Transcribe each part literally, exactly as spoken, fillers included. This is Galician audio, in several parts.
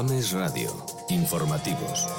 Ames Radio. Informativos.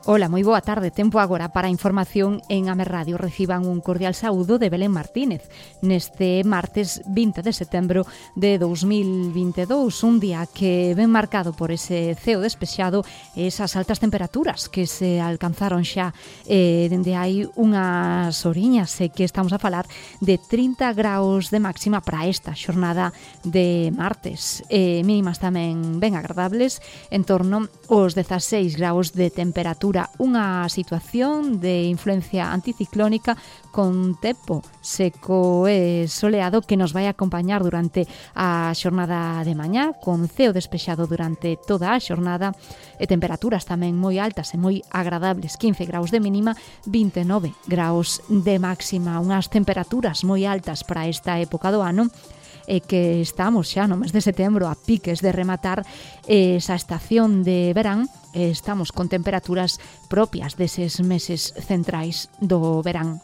Ola, moi boa tarde. Tempo agora para a información en Ames Radio. Reciban un cordial saúdo de Belén Martínez neste martes vinte de setembro de dous mil vinte e dous, un día que ven marcado por ese ceo despexado e esas altas temperaturas que se alcanzaron xa eh, dende hai unhas oriñas, e que estamos a falar de trinta graus de máxima para esta xornada de martes, eh, mínimas tamén ben agradables, en torno aos dezaseis graus de temperatura. Unha situación de influencia anticiclónica con tempo seco e soleado que nos vai acompañar durante a xornada de mañá, con ceo despexado durante toda a xornada e temperaturas tamén moi altas e moi agradables, quince graus de mínima, vinte e nove graus de máxima, unhas temperaturas moi altas para esta época do ano, e que estamos xa no mes de setembro a piques de rematar esa estación de verán. Estamos con temperaturas propias deses meses centrais do verán.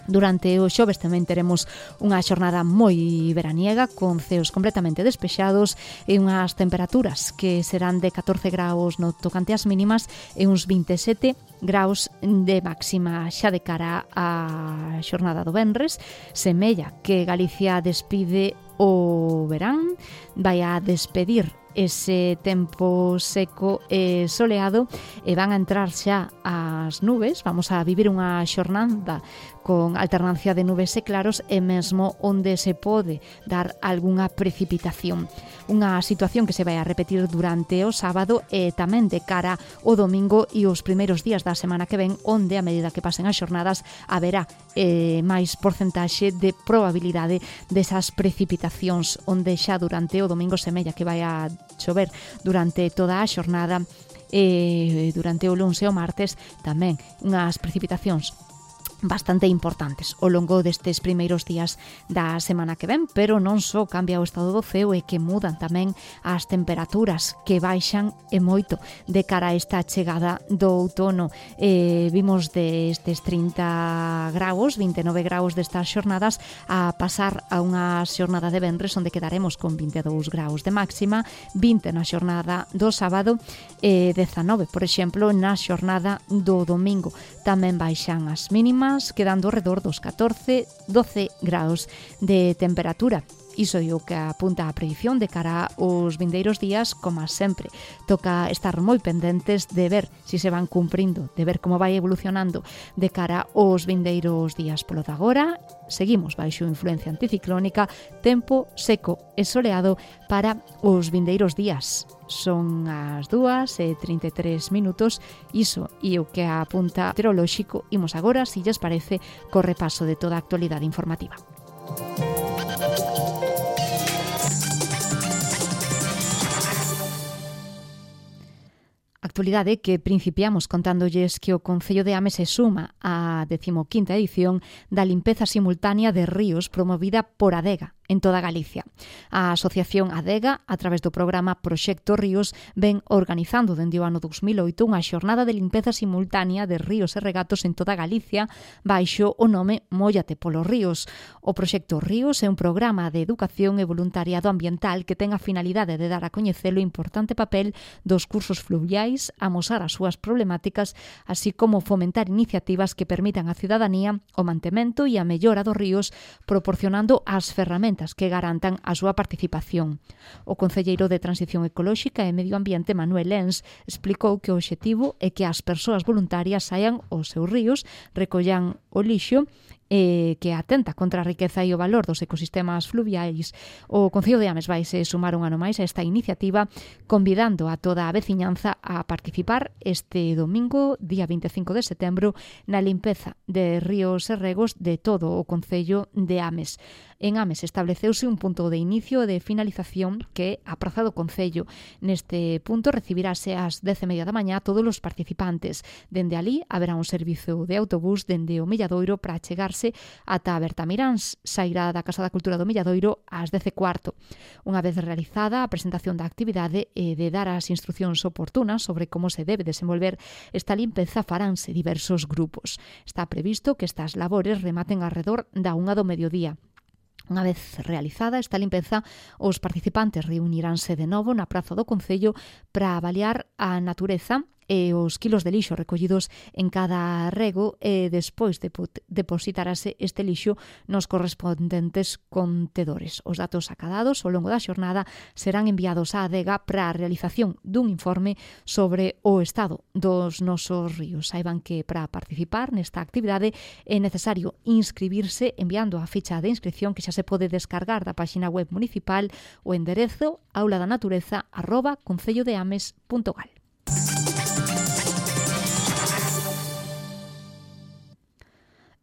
Durante o xoves tamén teremos unha xornada moi veraniega, con ceos completamente despexados e unhas temperaturas que serán de catorce graus no tocante ás mínimas e uns vinte e sete graus de máxima. Xa de cara á xornada do venres, semella que Galicia despide o verán, vai a despedir ese tempo seco e soleado e van a entrar xa as nubes. Vamos a vivir unha xornada con alternancia de nubes e claros e mesmo onde se pode dar algunha precipitación. Unha situación que se vai a repetir durante o sábado e tamén de cara ao domingo e os primeiros días da semana que ven, onde a medida que pasen as xornadas haberá eh, máis porcentaxe de probabilidade desas precipitacións, onde xa durante o domingo semella que vai a chover durante toda a xornada e durante o luns e o martes tamén unhas precipitacións bastante importantes ao longo destes primeiros días da semana que ven, pero non só cambia o estado do ceo, e que mudan tamén as temperaturas, que baixan e moito de cara a esta chegada do outono. Eh, vimos destes trinta graus, vinte e nove graus destas xornadas a pasar a unha xornada de venres onde quedaremos con vinte e dous graus de máxima, vinte na xornada do sábado e dezanove, por exemplo, na xornada do domingo. Tamén baixan as mínimas, quedando ao redor dos catorce, doce graus de temperatura. Iso é o que apunta a predición de cara aos vindeiros días. Como sempre, toca estar moi pendentes de ver se se van cumprindo, de ver como vai evolucionando de cara aos vindeiros días. Polo de agora, seguimos baixo influencia anticiclónica, tempo seco e soleado para os vindeiros días. Son as dúas e trinta e tres minutos, iso e o que apunta meteorolóxico. Imos agora, se lles parece, co repaso de toda a actualidade informativa. Actualidade que principiamos contándolles que o Concello de Ames se suma á decimoquinta edición da limpeza simultánea de ríos promovida por Adega en toda Galicia. A Asociación Adega, a través do programa Proxecto Ríos, ven organizando dende o ano dous mil oito unha xornada de limpeza simultánea de ríos e regatos en toda Galicia baixo o nome Móllate polos Ríos. O Proxecto Ríos é un programa de educación e voluntariado ambiental que ten a finalidade de dar a coñecer o importante papel dos cursos fluviais, amosar as súas problemáticas, así como fomentar iniciativas que permitan á cidadanía o mantemento e a mellora dos ríos, proporcionando as ferramentas que garantan a súa participación. O concelleiro de Transición Ecolóxica e Medio Ambiente, Manuel Lens, explicou que o obxectivo é que as persoas voluntarias saian aos seus ríos, recollan o lixo eh, que atenta contra a riqueza e o valor dos ecosistemas fluviais. O Concello de Ames vai se sumar un ano máis a esta iniciativa, convidando a toda a veciñanza a participar este domingo, día vinte e cinco de setembro, na limpeza de ríos e regos de todo o Concello de Ames. En Ames estableceuse un punto de inicio e de finalización que a Praza do Concello. Neste punto recibirase ás dez e media da mañá todos os participantes. Dende alí haberá un servizo de autobús dende o Milladoiro para chegarse Ourense ata Bertamiráns. Sairá da Casa da Cultura do Milladoiro ás dez e cuarto. Unha vez realizada a presentación da actividade e de dar as instruccións oportunas sobre como se debe desenvolver esta limpeza, faránse diversos grupos. Está previsto que estas labores rematen alrededor da unha do mediodía. Unha vez realizada esta limpeza, os participantes reuniránse de novo na Praza do Concello para avaliar a natureza e os quilos de lixo recollidos en cada rego e despois de depositarase este lixo nos correspondentes contedores. Os datos acadados ao longo da xornada serán enviados á adega para a realización dun informe sobre o estado dos nosos ríos. Saiban que para participar nesta actividade é necesario inscribirse enviando a ficha de inscripción que xa se pode descargar da páxina web municipal o enderezo auladannatureza arroba concellodeames punto gal.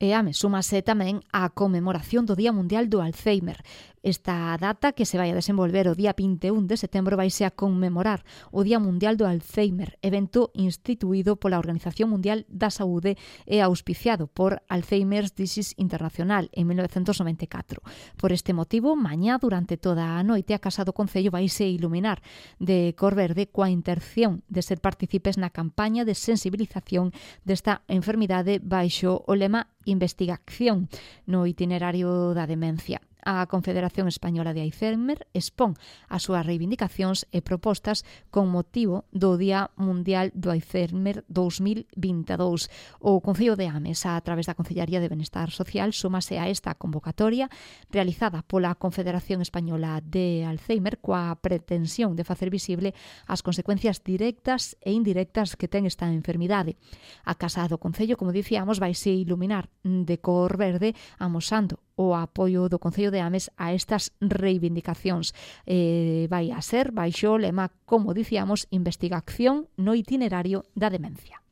E Ames súmase tamén á conmemoración do Día Mundial do Alzheimer. Esta data, que se vai a desenvolver o día vinte e un de setembro, vaise a conmemorar o Día Mundial do Alzheimer, evento instituído pola Organización Mundial da Saúde e auspiciado por Alzheimer's Disease Internacional en mil novecentos noventa e catro. Por este motivo, mañá durante toda a noite a Casa do Concello vaise iluminar de cor verde coa intención de ser partícipes na campaña de sensibilización desta enfermidade baixo o lema Investigación no itinerario da demencia. A Confederación Española de Alzheimer expón as súas reivindicacións e propostas con motivo do Día Mundial do Alzheimer dous mil vinte e dous. O Concello de Ames, a través da Concellaría de Benestar Social, súmase a esta convocatoria realizada pola Confederación Española de Alzheimer coa pretensión de facer visible as consecuencias directas e indirectas que ten esta enfermidade. A Casa do Concello, como dicíamos, vaise iluminar de cor verde amosando o apoio do Concello de Ames a estas reivindicacións. Eh, vai a ser baixo o lema, como dicíamos, Investigación no itinerario da demencia.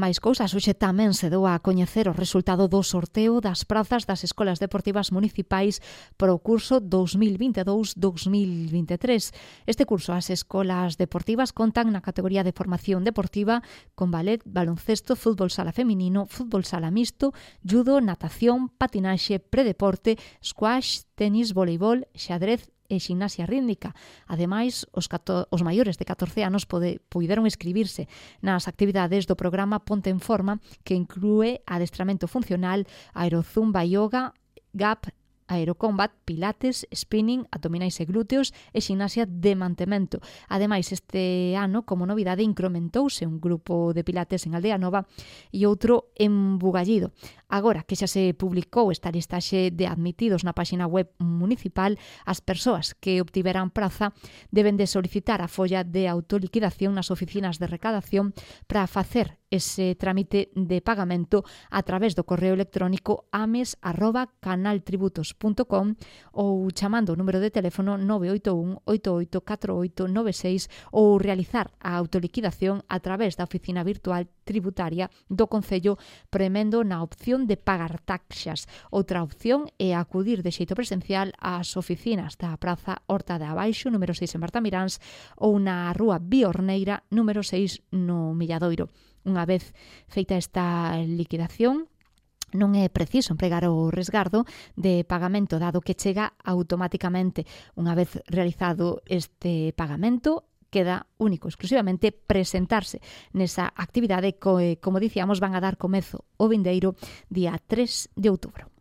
Mais cousas, hoxe tamén se deu a coñecer o resultado do sorteo das prazas das escolas deportivas municipais para o curso dos mil vinte e dous dos mil vinte e tres. Este curso as escolas deportivas contan na categoría de formación deportiva con ballet, baloncesto, fútbol sala feminino, fútbol sala mixto, judo, natación, patinaxe, predeporte, squash, tenis, voleibol, xadrez e ximnasia rítmica. Ademais, os, cato, os maiores de catorce anos pode, puideron inscribirse nas actividades do programa Ponte en Forma, que inclúe adestramento funcional, aerozumba, yoga, gap, aerocombat, pilates, spinning, abdominais e glúteos e ximnasia de mantemento. Ademais, este ano, como novidade, incrementouse un grupo de pilates en Aldea Nova e outro en Bugallido. Agora que xa se publicou esta listaxe de admitidos na páxina web municipal, as persoas que obtiveran praza deben de solicitar a folla de autoliquidación nas oficinas de recadación para facer ese trámite de pagamento a través do correo electrónico ames arroba canaltributos punto com ou chamando o número de teléfono nove oito un oito oito catro oito nove seis ou realizar a autoliquidación a través da oficina virtual tributaria do Concello premendo na opción de pagar taxas. Outra opción é acudir de xeito presencial ás oficinas da Praza Horta de Abaixo, número seis en Bertamiráns, ou na Rúa Biorneira, número seis no Milladoiro. Unha vez feita esta liquidación, non é preciso empregar o resgardo de pagamento, dado que chega automáticamente. Unha vez realizado este pagamento, queda único, exclusivamente, presentarse nesa actividade que, como dicíamos, van a dar comezo o vindeiro día tres de outubro.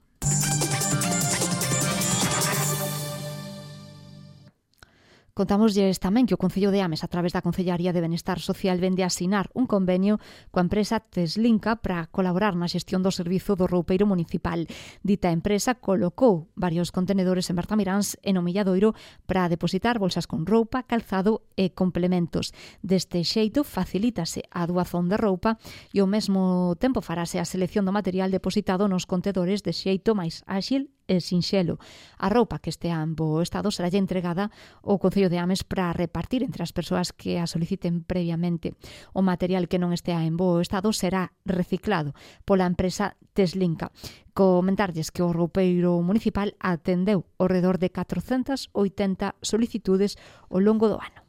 Contámoslles tamén que o Concello de Ames, a través da Concellaría de Benestar Social, vende a asinar un convenio coa empresa Teslinka para colaborar na xestión do servizo do roupeiro municipal. Dita empresa colocou varios contenedores en Bertamiráns e no Milladoiro para depositar bolsas con roupa, calzado e complementos. Deste xeito, facilítase a doazón de roupa e ao mesmo tempo farase a selección do material depositado nos contedores de xeito máis áxil e sinxelo. A roupa que estea en bo estado será entregada ao Concello de Ames para repartir entre as persoas que a soliciten previamente. O material que non estea en bo estado será reciclado pola empresa Teslinka. Comentarlles que o roupeiro municipal atendeu ao redor de catrocentas oitenta solicitudes ao longo do ano.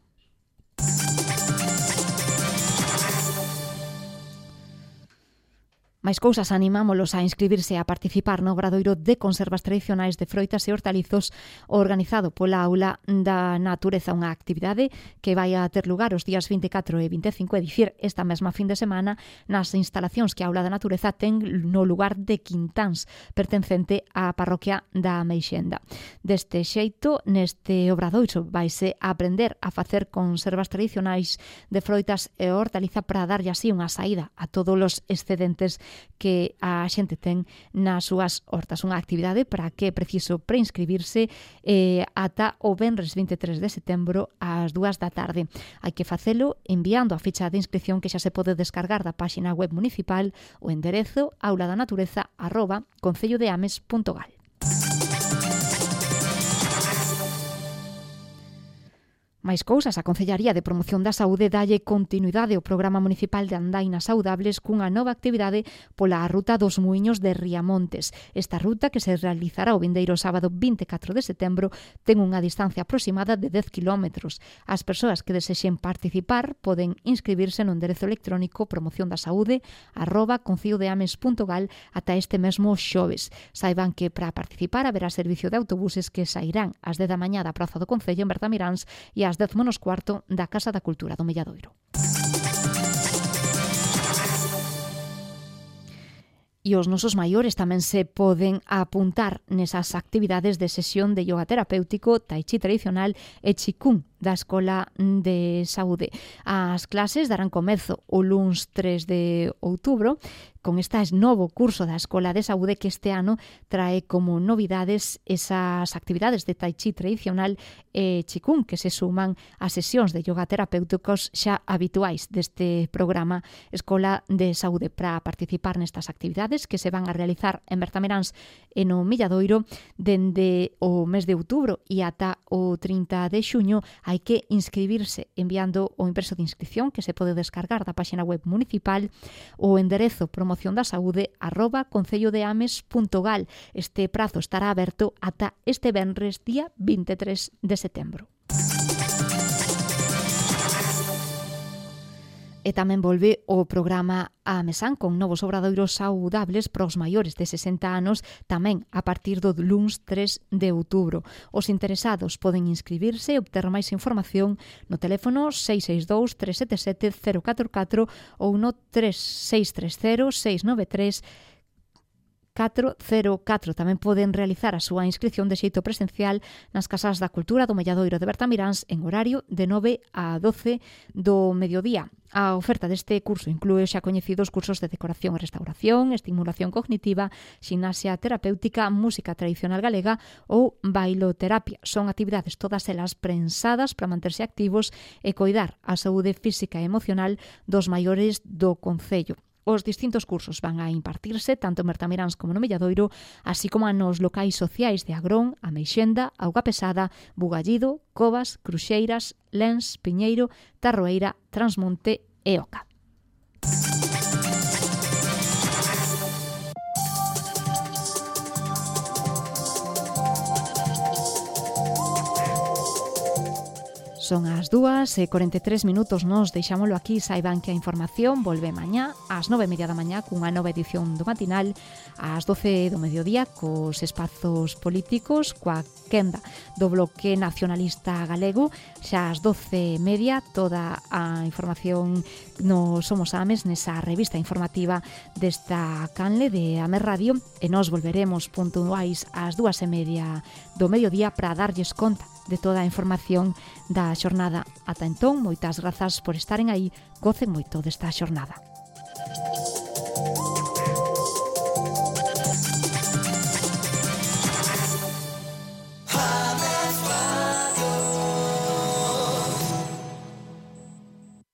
Máis cousas, animámolos a inscribirse a participar no Obradoiro de Conservas Tradicionais de Froitas e Hortalizos organizado pola Aula da Natureza, unha actividade que vai a ter lugar os días vinte e catro e vinte e cinco, é dicir, esta mesma fin de semana nas instalacións que a Aula da Natureza ten no lugar de Quintáns, pertencente á parroquia da Meixenda. Deste xeito, neste Obradoiro vaise a aprender a facer conservas tradicionais de froitas e hortaliza para darlle así unha saída a todos os excedentes que a xente ten nas súas hortas. Unha actividade para que é preciso preinscribirse eh, ata o venres vinte e tres de setembro ás dúas da tarde. Hai que facelo enviando a ficha de inscripción que xa se pode descargar da páxina web municipal o enderezo auladaнаtureza arroba concellodeames punto gal. Máis cousas, a Concellaría de Promoción da Saúde dalle continuidade ao Programa Municipal de Andainas Saudables cunha nova actividade pola Ruta dos Muiños de Riamontes. Esta ruta, que se realizará o vindeiro sábado vinte e catro de setembro, ten unha distancia aproximada de dez kilómetros. As persoas que desexen participar poden inscribirse no enderezo electrónico promocióndasaude arroba concellodeames punto gal ata este mesmo xoves. Saiban que para participar haberá servicio de autobuses que sairán ás dez da mañá da Praza do Concello en Bertamiráns e ás dez menos cuarto da Casa da Cultura do Milladoiro. E os nosos maiores tamén se poden apuntar nesas actividades de sesión de yoga terapéutico, tai chi tradicional e chikung da Escola de Saúde. As clases darán comezo o luns tres de outubro con este novo curso da Escola de Saúde que este ano trae como novidades esas actividades de tai chi tradicional e chikung que se suman a sesións de yoga terapéuticos xa habituais deste programa Escola de Saúde. Para participar nestas actividades que se van a realizar en Bertamiráns e no Milladoiro dende o mes de outubro e ata o trinta de xuño, hai que inscribirse enviando o impreso de inscripción que se pode descargar da páxina web municipal o enderezo promocióndasaude arroba concellodeames punto gal. Este prazo estará aberto ata este venres día vinte e tres de setembro. E tamén volve o programa A Mesán con novos obradoiros saudables para os maiores de sesenta anos tamén a partir do luns tres de outubro. Os interesados poden inscribirse e obter máis información no teléfono seis seis dous, tres sete sete, cero catro catro ou no tres seis tres cero, seis nove tres catro cero catro. Tamén poden realizar a súa inscripción de xeito presencial nas Casas da Cultura do Milladoiro de Bertamiráns en horario de nove a doce do mediodía. A oferta deste curso inclúe xa coñecidos cursos de decoración e restauración, estimulación cognitiva, ximnasia terapéutica, música tradicional galega ou bailoterapia. Son actividades todas elas prensadas para manterse activos e coidar a saúde física e emocional dos maiores do concello. Os distintos cursos van a impartirse tanto en Bertamiráns como no Milladoiro, así como nos locais sociais de Agrón, a Meixenda, Auga Pesada, Bugallido, Covas, Cruxeiras, Lens, Piñeiro, Tarroeira, Transmonte e Oca. Son as dúas e corenta e tres minutos, nos deixámolo aquí. Saiban que a información volve mañá ás nove e media da mañá cunha nova edición do matinal, ás doce do mediodía cos espazos políticos, coa quenda do Bloque Nacionalista Galego, xa ás doce e media toda a información no Somos Ames nesa revista informativa desta canle de Ames Radio, e nos volveremos puntuais ás dúas e media do mediodía para darlles conta de toda a información da xornada. Ata entón, moitas grazas por estaren aí, gocen moito desta xornada.